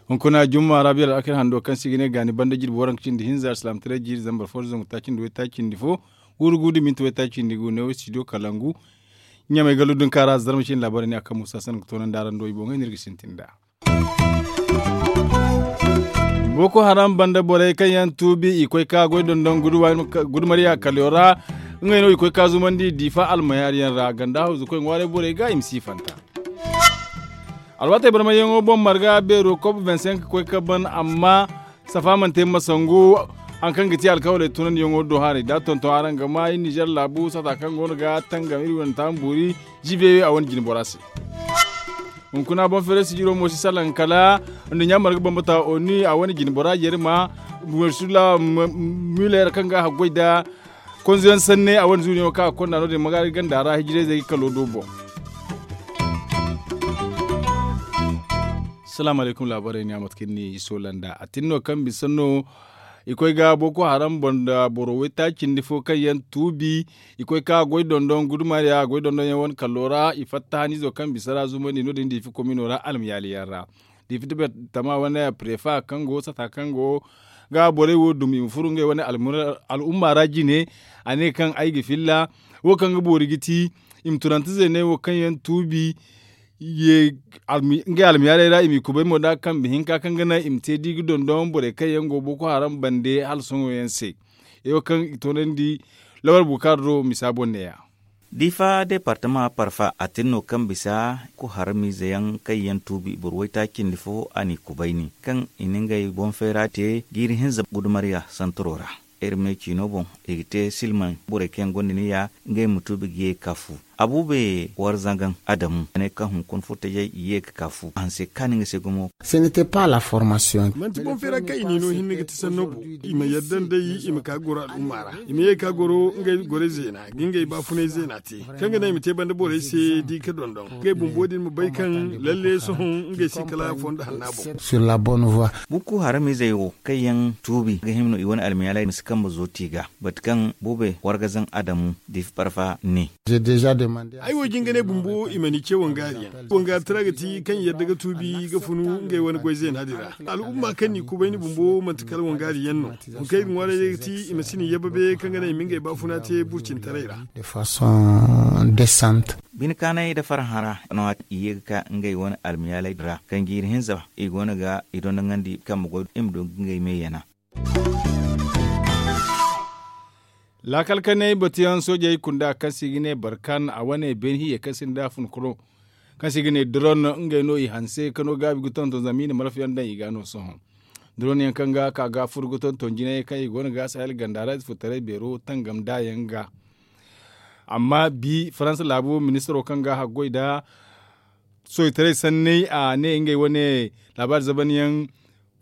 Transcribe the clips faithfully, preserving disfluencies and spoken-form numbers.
Hunkuna jumma ra biyar alakar hando kaŋ se i ga ne gaani banda jirbi waranka cindi hinza alsilaamataray jiiri zambar fo zangu taaci nda waytaaci nda fo, guuru gu nda minti waytaaci nda gu neewo studio kalangu. Ɲamay gallu dunka ra zarma cine laabaarey ne a kaŋ muusa sanda ga toonandi araŋ do i boŋey no iri ga sintin nd'a. Boko haram banda borey kaŋ yaŋ tuubi i koy ka goy dondon gudumarya kaliyo ra. Ngey no i koy ka zumandi diifa almayaari yaŋ ra ganda hawzu koy ŋwaaray borey ga i ma siifanta. Alwaatey barmayyaŋo boŋ marga beero kop vingt cinq koy ka ban amma safa mana te masangu. Hari kaŋ ga ti alkawaley tunandiyaŋo do haray da tonton araŋ ga ma iri nizer laabu sata kaŋ go no ga tangam iri wane taama boori. Jibeyo a wane jine bora se. Hunkuna boŋ feeray sijiro mo si salaŋ kala nduɲɲa marga bambata oni a wane jine bora jeeri ma. Wersula muler kaŋ ga a haggoy nda konzoyaŋ sanne a wane zuuniyaŋo kaŋ a ga konda no- din magaari ganda ra hijirayzey ga kalo do boŋ. Salaamu alaykum laabaarey ne a mate kaŋ ni iso landa a tin no kaŋ bisa no. I koy ga boko haram boŋ nda boro waytaaci nda fo kaŋ yaŋ tuubi. I koy ka goy dondon gudumaariya goy dondon yaŋ wane kallo ra i fatta haniizo kaŋ bisa ra zumandi no- din diifi komino ra almayaali yaŋ ra. Diifi tama wane prefa kaŋ go sata kaŋ go ga borey wo dum i ma furu ngey wane al'umma ra jine. A ne kaŋ ay ga filla wo kaŋ ga boori ga ti i ma tunante zeeney wo kaŋ yaŋ tuubi. Ngey almiyaaley ra i m'i kubay mo nd'a kambe hinka kaŋ ga naŋ i ma te da i ga dondon borey kaŋ yaŋ go boko haram bande hala sohõ yaŋ se. Ay wo kaŋ i toonandi lawal bukaara do misa boŋ neeya. Diifa deepartama parfa a tin no kaŋ bisa boko haram ize yaŋ kaŋ yaŋ tuubi boro waytaaci nda fo a n'i kubay ni kaŋ i na ngey boŋ feera te jiiri hinza gudumarya santaro ra. Iri me ciino boŋ i ga te silmaŋ borey kaŋ yaŋ gonda niya ngey ma tuubi ga ye ga ka fu. Abuube war zangaŋ adamu a ne kaŋ hunkuna furtajey i ye ga ka fu a hanse kaani nga se gumo. Manti boŋ feera kaŋ i n'i no hinne ga ti sanno boŋ. I ma yadda nd'ey i ma ka ga goro al'umma ra i ma ye ga ka goro ngey gorey zeena ga ngey baafunay zeena te kaŋ ga naŋ i ma te banda borey se di ga dondon ngey bumbo din ma bay kaŋ lalle sohõ ngey si kala fondo hanna boŋ. Boko haram izey wo kaŋ yaŋ tuubi ga hima no i wane almiyaaley ma si kambe zooti ga bate kaŋ boobe wargazaŋ adamu diifa parfa ne. Ay wo jinganey bumbo i mana i ce wangaari yaŋ wangaari tara ga ti kaŋ i yadda ga tuubi ga funu ngey wane goy zeena din ra. Al'umma kaŋ n'i kubay ni bumbo manti kala wangaari yaŋ no. Hunkey ga ŋwaaray day ga ti i ma si ni yababe kaŋ ga naŋ i ma ngey baafuna te burcintaray ra. Bine kaanay nda farhã ra no a ti i ye ga ka ngey wane almiyaaley din ra kaŋ jiiri hinza i go no ga i dondoŋandi kambe goy i ma du ga ngey me yana. Laakal kanay batuyaŋ soojey kunda kaŋ se i ga ne barkan a wane beene hiiyey kaŋ sinda funkuno kaŋ se i ga ne doron ngey no i hanse ka no gaabi ga tonton zama i na malfayaŋ daŋ i ga no sohõ. Doron yaŋ kaŋ ga ka ga furo ga tonton jinayey kaŋ i go no ga sahel ganda ra ize furtaray beero tangam nd'a yaŋ ga. Amma bi faransa laabo ministaro kaŋ ga haggoy nda soojitaray sanney a ne ngey wane laabaari zabanyaŋ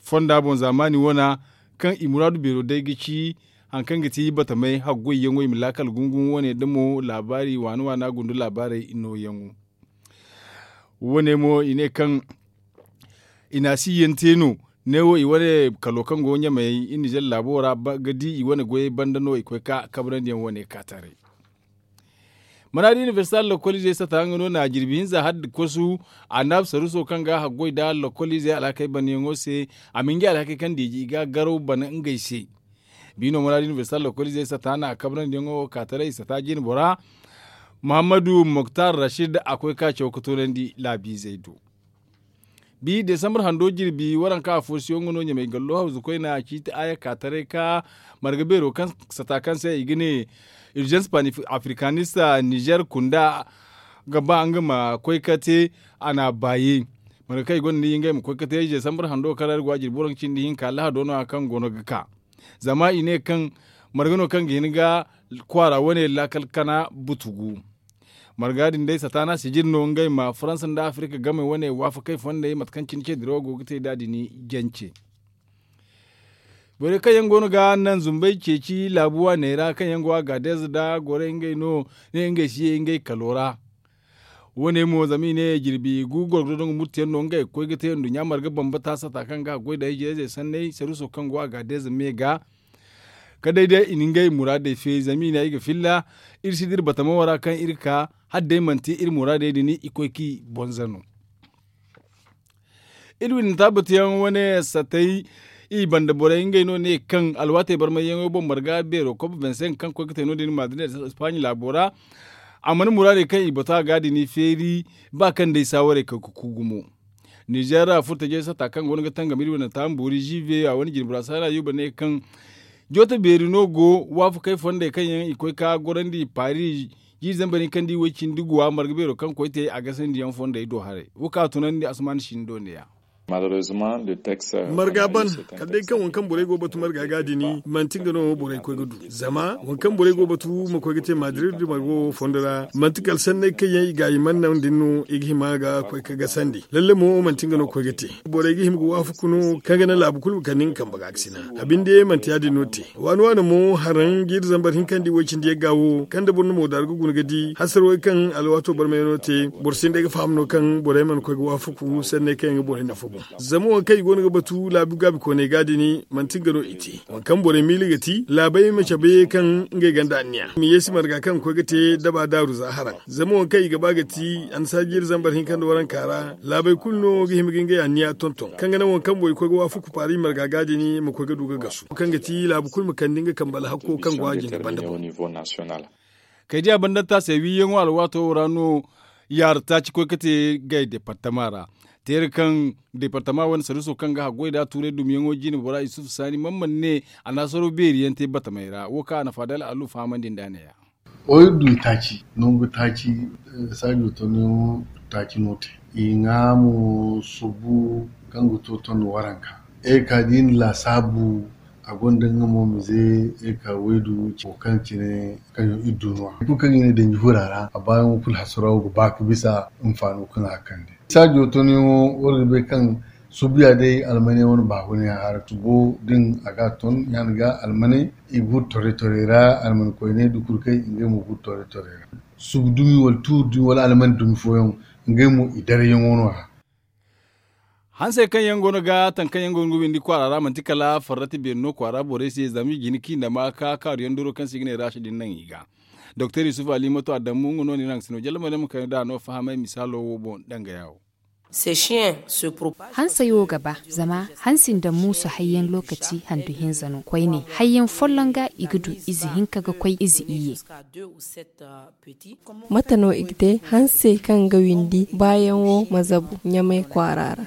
fonda boŋ zaamaani wana kaŋ i muraadu beero day ga ci hari kaŋ ga ti batamay haggoyyaŋo i ma laakal gungumo wane nda mo laabaari waana waana gundu laabaarey nooyaŋo. Wo- ne mo i ne kaŋ i na a si yaŋ te no neewo i wane kalo kaŋ go ɲamey i nizer laabo ra ga di i wane goyey banda no i koy ka kabrandi yaŋ wane ka taray. Maraadi inibersita lokoliizey sata nga no na jirbi hinza hala nda kosu a naabu saruuso kaŋ ga haggoy nda lokoliizey alhakey banyaŋo se. A ma ngey alhakey kaŋ diiji i ga garaw bana ngey se. Bi no maraadi inibersita lokoliizey sata na kabrandiyaŋo ka taray sata jine bora. Muhammadu moktar rashid a koy ka caw ka toonandi laabiizey do. Bi desambar hando jirbi waranka afo siyaŋo no ɲamay gallo hawzu koyne a ciiti aya ka taray ka marga beero kaŋ sata kaŋ se i ga ne urgence panafricaniste nizer kunda ga ba nga ma koy ka te. A na a baaye marga kaŋ i gonda ni ngey ma koy ka te desambar hando kaŋ ra iri go a jirbi waranka cindi hinka lahado no- ya kaŋ go no ga ka. Zama i ne kaŋ marga no kaŋ ga hin ga kwaara wane laakal kana butugu. Marga din day sata no a sijir no ngey ma faransa nda afirika game wane waafakey fondey mate kaŋ cine ce dirawo go ga te nd'a din jance. Borey kaŋ yaŋ go no ga naŋ zumbey ceeci laabu waaney ra kaŋ yaŋ go a gaadez nda gorey ngey no ne ngey si ye ngey kalo ra. Wo- ne mo zama i ne jirbi gu gorgodo dongo murtiyaŋ no ngey ga koy ga te nduɲɲa marga bambata sata kaŋ ga a goy nda ijirayzey sanney saruuso kaŋ go a gaadez me ga. Kala day day i na ngey muraadey feeri zama i ne ay ga filla iri si dira batamawo ra kaŋ iri ka hala day manti iri muraadey din i koy kaŋ i bonza no. Iri windanta batuyaŋ wane satay i banda borey ngey no ne kaŋ alwaatey barmayyaŋo boŋ marga beero kob vingt cinq kaŋ koy ga te no- din madrid espaaɲi laabo ra. A mana muraadey kaŋ i batu a ga din i feeri ba kaŋ day saawarey kaŋ ga ku gumo. Nizeer ra furtajey sata kaŋ go no ga tangam iri wane taambuuri ziive a wane jinbura saara yuuba ne kaŋ jooto beeri no go waafakey fondey kaŋ yaŋ i koy ka gorandi paari jiiri zambar hinka nda i way cindi guwa marga beero kaŋ koy te a gasandi yaŋ fondey do haray wo kaŋ a tunandi asuman sindo ne- ya. Marga ban kala day kaŋ waŋ kaŋ borey go ga batu marga ga a dini manti nga no borey koy ga du zama waŋ kaŋ borey go ga batu ma koy ga te madrid marga wo fondo ra manti kala sanney kaŋ yaŋ i ga i mana naŋ din no i ga hima ga koy ga gasandi lalle mo manti nga no ga koy ga te. Borey ga hima ga waafaku no kaŋ ga naŋ laabu kulu ma kande nga kambe ga a ga sina a binde manti ya- din no te. Waani waani mo haraŋ jiiri zambar hinka nda i way cindi yagga wo kaŋ da boro na moodaari ga guna ga di hasarwey kaŋ alwaato barmayano te. Boro sinda ay ga faham no kaŋ borey mana koy ga waafaku sanney kaŋ yaŋ ga borey nafa boŋ. Zama waŋ kaŋ i go no ga batu laabu gaabi kooney ga din manti nga no i te. Waŋ kaŋ borey miila ga ti laabey ma cabe kaŋ ngey gonda anniya i ma yeesi marga kaŋ ga koy ga te daba daaru za haraŋ zama waŋ kaŋ i ga ba ga ti annasaara jiiri zambar hinka nda waranka ra laabey kulu no ga hima ga ngey anniya tonton kaŋ ga naŋ waŋ kaŋ borey koy ga waafaku paari marga ga din ma koy ga du ga gasu kaŋ ga ti laabu kulu ma kande nga kambe alhakko kaŋ go a jine banda boŋ. Kay diya banda taasey wiiyaŋo alwaato wo ra no yaara taaci koy ga te gay departama ra. Teera kaŋ departama wane sarriso kaŋ ga haggoy da tuuray dumyaŋo jine bora isufu saani man mana ne a na saro beeri yaŋ te batamey ra wo kaŋ a na faadal alu fahamandi nda a ne- ya. Wo iri du i taaci nangu taaci saajo tonyaŋo taaci no te i ŋwa mo subu kaŋ ga to ton waranka. Iri ka da i na laasaabu a gonda nga mo mize iri ka waydu wo kaŋ cine kaŋ yaŋ iri du no- ya hari kulu kaŋ i ne danji hura ra a baayaŋo kulu hasarawo ga ba ga bisa. Hinfaano kaŋ a kande saajo tonyaŋo war ga bay kaŋ subu ya day almaney wane baahuna yaŋ hara subo din a ga a ton ya- din ga almaney i ga furo torey torey ra almani koyney da kulu kaŋ ngey mo ga furo torey torey ra. Subu dumi wala tuuri dumi wala almani dumi fooyaŋ ngey mo i darayyaŋo no- ya. Hansey kaŋ yaŋ go no ga taŋ kaŋ yaŋ go no ga windi kwaara ra manti kala farrati beeri no kwaara borey se zama i jina kaŋ i na ma ka kaaru yaŋ doro kaŋ se i ga ne raasi din naŋ i ga. Doktor yusuf ali mato adammu nga no ni naŋ sino jalla mo day ma kayna da a no fahamay misaalo wo boŋ danga yaawo. Hansey wo ga ba zama hansi nda muusu hayyaŋ lookaci handu hinza no koyne hayyaŋ folloŋ ga i ga du ize hinka ga koy ize iyye. Mate no i ga te hansey kaŋ ga windi baayaŋo ma zabu ɲamay kwaara ra.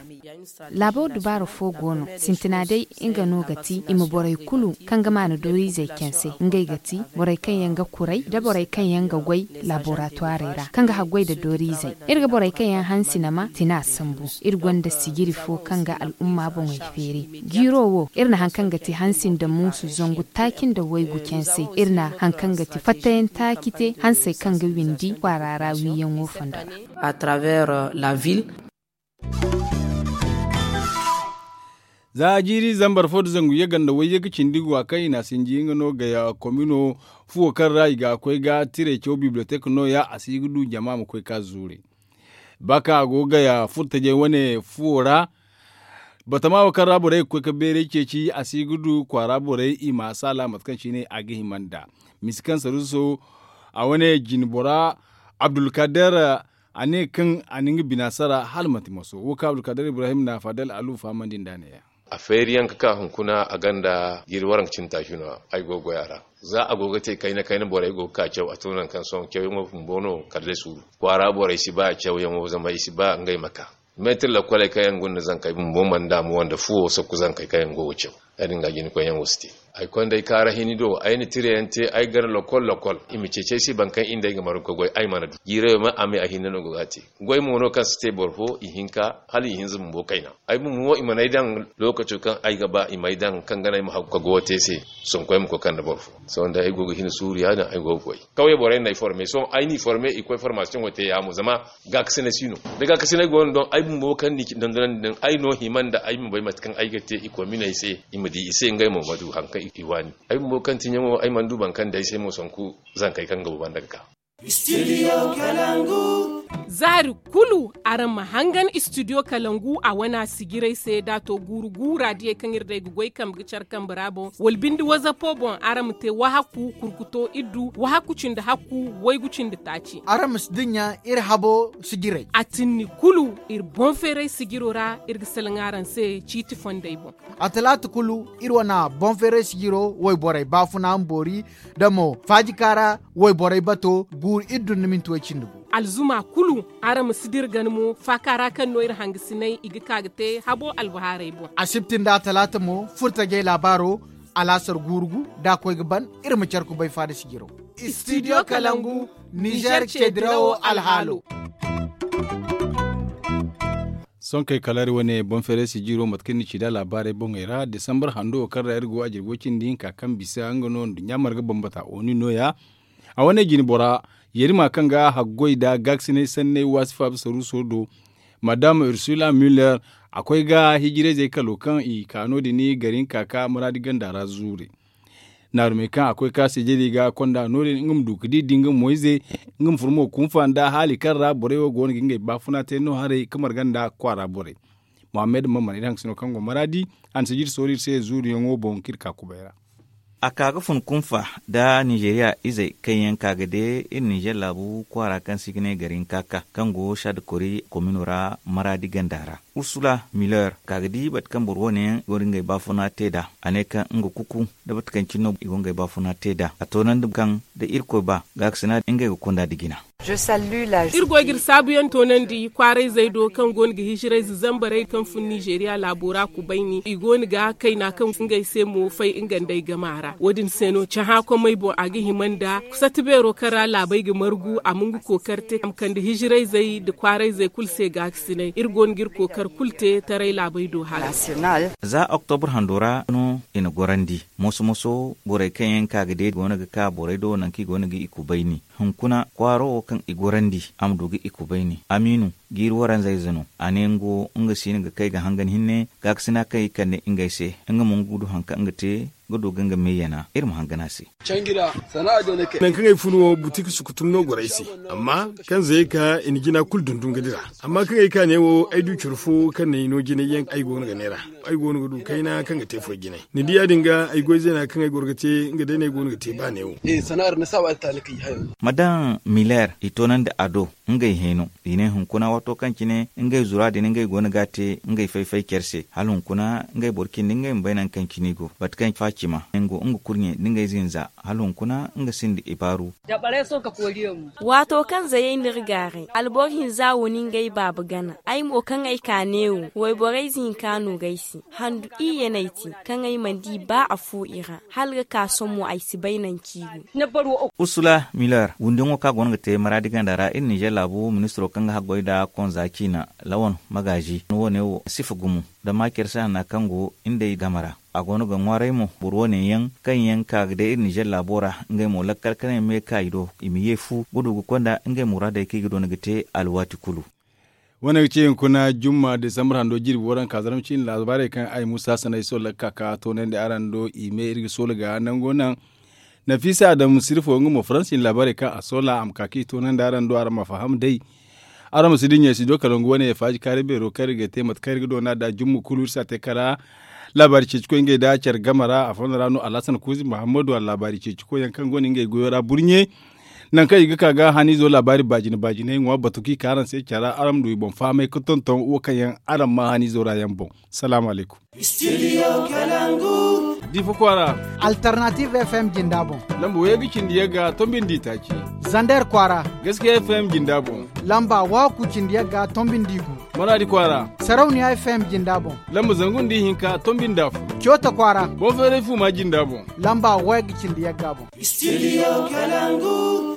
Laabo dubaara fo go no sintina day nga no ga ti i ma borey kulu kaŋ ga maana dooriizey canse ngey ga ti borey kaŋ yaŋ ga kuray nda borey kaŋ yaŋ ga goy laboratwarey ra kaŋ ga haggoy nda dooriizey. Iri ga borey kaŋ yaŋ hansi nama tina sambu. Iri gonda sijiri fo kaŋ ga al'umma boŋey feeri. Jiiro wo iri na hari kaŋ ga ti hansi nda muusu zangu taaci nda waygu canse iri na hari kaŋ ga ti fattayaŋ taaci te hansey kaŋ ga windi kwaara ra wiiyaŋo fondo ra. Za jiiri zambar fo nda zangu yagga nda wayye ga cindi go a kaŋ i na a sinji nga no gaya komino fuwo kaŋ ra i ga koy ga tiray caw bibliyotek nooya a si ga du jama ma koy ka zuure. Ba kaŋ a go ga gaya furtajey wane fuwo ra. Batama wo kaŋ ra borey ga koy ga beeray ceeci a si ga du kwaara borey i ma a saala mate kaŋ cine a ga hima nd'a. Misi kaŋ saruuso a wane jinbora abdulkader a ne kaŋ a na nga bina sara hala manti maso wo kaŋ abdulkader ibrahim na faadal alu fahamandi nd'a ne-ya. A feeriyaŋ ga ka hunkuna a gonda jiiri waranka cindi taaci no. Ay go ga goy a ra za a go ga te kayna kayna borey go ga ka caw a to nangu kaŋ sohõ cawyaŋo bumbo no kala day suuru kwaara borey si ba cawyaŋo zama i si ba ngey ma ka. Meetir lakoley kaŋ yaŋ gonda zankey bumbo mana daamu wande fuwo sakku zankey kaŋ yaŋ go ga caw. Ya- din ga jina koyyaŋo si te. Ay konda ay kaara hini do ay na tirayaŋ te ay gana lokol lokol i ma ceeci ay se boro kaŋ i nda ay ga margu ga goy ay mana du jiirayo ma a me a hinne no go ga a te. Goy mo no kaŋ si te boro fo ihinka hala ihinza bumbo kayna. Ay bumbo mo i mana ay daŋ lookaco kaŋ ay ga ba i m'ay daŋ kaŋ ga naŋ ay ma haggu ka goyo te ay se. Sonko ay ma koy kande boro fo. Sohõ day ay go ga hin suuru ya- din ay go ga goy kawye borey no ay forme sohõ ay n'i forme i koy formasiyoŋo te ya- mo zama gaakasinay si no. Da gaakasinay go no don ay bumbo kaŋ n'i dondonandi din ay no hima nda ay ma bay mate kaŋ ay ga te i kominey se i ma di i se ngey mo ma du hari kaŋ i waani. Ay bumbo kaŋ tiɲaŋo ay mana du boro kaŋ day se mo sanku zankey kaŋ ga bubanda ga ka. Studio kalangu. Zaari kulu araŋ ma hangan istidiyo kalangu a wana sijirey se da a to guuru guura diyey kaŋ iri day ga goy kambe ga care kambe ra boŋ wala binde wazapo boŋ araŋ ma te wahakku kurkuto iddu wahakku cindi hakku waygu cindi taaci. Araŋ ma si dinya iri habo sijirey a tinni kulu iri boŋ feeray sijiro ra iri ga salaŋ araŋ se ciiti fondey boŋ. A talaata kulu iri wana boŋ feeray sijiro wayborey baafuna ma boori da mo faajika ra wayborey bato guuru iddu nda minti way cindi gu. Alzuma kulu araŋ ma si dira gana mo faaka ra kaŋ no iri hangasinay i ga ka ga te habo albahaarey boŋ. Asibti nda talaata mo furtajey laabaaro alaasar guuru gu da a koy ga ban iri ma care kubay faada sijiro. Istidiyo kalangu nizer ce dirawo alhaalo. Sonkey kala iri wane boŋ feeray sijiro mate kaŋ ni ci nd'a laabaarey boŋey ra desambar hando wo kaŋ ra iri go a jirbi way cindi hinka kaŋ bisa nga no nduɲɲa marga bambata oni nooya. A wane jine bora yarima kaŋ ga haggoy nda gaakasinay sanney waasi faabi saruuso do madam ursula muller a koy ga hijirayzey kalo kaŋ i ka no- din gari hinka ka maraadi ganda ra zuure. Naarumey kaŋ a koy ka sijiri ga konda no- din nga ma du ga di da nga moyze nga ma furo mo kunfa nda haali kaŋ ra borey wo go no ga ngey baafuna te no haray ga marga nda kwaara borey. Mohammed mamman iri hangasino kaŋ go maraadi a na sijiri soori iri se zuuriyaŋo boŋ kaŋ iri ka kubay ra. A ka ga fun kunfa nda ninzeeriya izey kaŋ yaŋ ka ga de iri ninzeer laabu kwaara kaŋ se i ga ne gari hinka ka kaŋ go saada kori komino ra maraadi ganda ra. Ursula muller ka ga di bate kaŋ boro wane yaŋ go no ga ngey baafuna te nd'a a ne kaŋ nga kuku nda bate kaŋ cine no i go ga ngey baafuna te nd'a a toonandi kaŋ da irkoy ba gaakasina ngey ga konda nda jina. Iri go ga iri saabuyaŋ toonandi kwaarayzey do kaŋ go no ga hijirayze zambarey kaŋ fun ninzeeriya laabo ra kubayni i go no ga kayna kaŋ ngey se mo fay nga nd'ey gama ra wo- din se no cahã komey boŋ a ga hima nda sati beero kaŋ ra laabey ga margu a ma nga kookari te a ma kande hijirayzey nda kwaarayzey kulu se gaakasinay iri go no ga iri kookari kulu te taray laabey do hala. Za oktobre hando ra no i na gorandi moso moso borey kaŋ yaŋ ka ga de go no ga ka borey do nangu kaŋ i go no ga i kubayni. Hunkuna kwaaro wo kaŋ i gorandi a ma du ga i kubayni amiinu jiiri waranzayze no a ne nga wo nga si no ga kay ga hangan hinne gaakasina kaŋ i kande ngey se nga mo nga du hari kaŋ nga te ga du ga nga meeyana iri ma hangan a se. Nangu kaŋ ay fun wo butik sukutum no goro ay se amma kaŋ zayey ka i na jina kulu dundun ga dira. Amma kaŋ ay ka ne wo ay du coro fo kaŋ na ay no jinay yaŋ ay go no ga neera ay go no ga du kayna kaŋ ga te foy jinay ni di ya- din ga ay goy zeena kaŋ ay goro ga te nga day no ay go no ga te ba ne wo. Ma daŋ miler i toonandi a do ngey hẽeno i ne hunkuna waato kaŋ cine ngey zura din ngey go no ga a te ngey fay-fay care se hala hunkuna ngey boro cindi ngey ma bay nangu kaŋ cine i go bate kaŋ faacima nga kurɲe nda ngey zinza hala hunkuna nga sinda ibaaru. Waato kaŋ zayey n'iri gaaray alboro hinza wo ni ngey baaba gana ay mo kaŋ ay ka neewo wayborey zinka no ga ay se handu iyye no ay te kaŋ ay mana di ba afo i ra hala ga ka sohõ ay si bay nangu kaŋ i go. Ursula miller wundiyaŋo kaŋ a go no ga te maraadi ganda ra iri ninzeer laabu ministiro kaŋ ga haggoy nda konza ciina lawan magaazi woone wo sifa gumo da maacer se hanna kaŋ go nd'ey game ra a go no ga ŋwaaray mo boro woone yaŋ kaŋ yaŋ ka ga day iri ninzeer laabo ra ngey mo lakkal kanay me ka i do i ma ye fu ga du ga konda ngey muraadey kaŋ i ga doona ga te alwaati kulu. Wane ga ci hunkuna jumma desambar hando jirbi waranka zarma ciine laabaarey kaŋ ay musa sanay sohõ lakka ka toonandi araŋ do i me iri ga soola ga nango naŋ. Nafisa adamu sirfo nga mo faransi laabaarey kaŋ a soola a ma ka kaŋ i toonandi araŋ do araŋ ma faham day. Araŋ ma si dinya studio kalangu wane faaji kaari beero kaŋ iri ga te mate kaŋ iri ga doona nda jumma kulu iri si a te kala. Laabaari ceecikoy ngey nda care game ra a fondo ra no alhasan kuuzi muhammadu a laabaari ceecikoy yaŋ kaŋ go no ngey goyo ra burɲe. Nangu kaŋ i ga ka ga haniizo laabaari baajine baajiney ŋwa batu kaŋ i ka araŋ se care ra araŋ ma du i boŋ fahamay ga tonton wo kaŋ yaŋ araŋ maa haniizo ra yaŋ boŋ. Salaamu alaykum. Difa kwaara. Alternative fm jinda boŋ. Lamba wayga cindi yagga tombi nda itaaci. Zander kwaara. Gaskiya fm jinda boŋ. Lamba waku cindi yagga tombi nda igu. Maraadi kwaara. Sarauniya fm jinda boŋ. Lamba zangu nda ihinka tombi nda afo. Coota kwaara. Boŋ feeray fuuma jinda boŋ. Lamba wayga cindi yagga boŋ. Studio kalangu.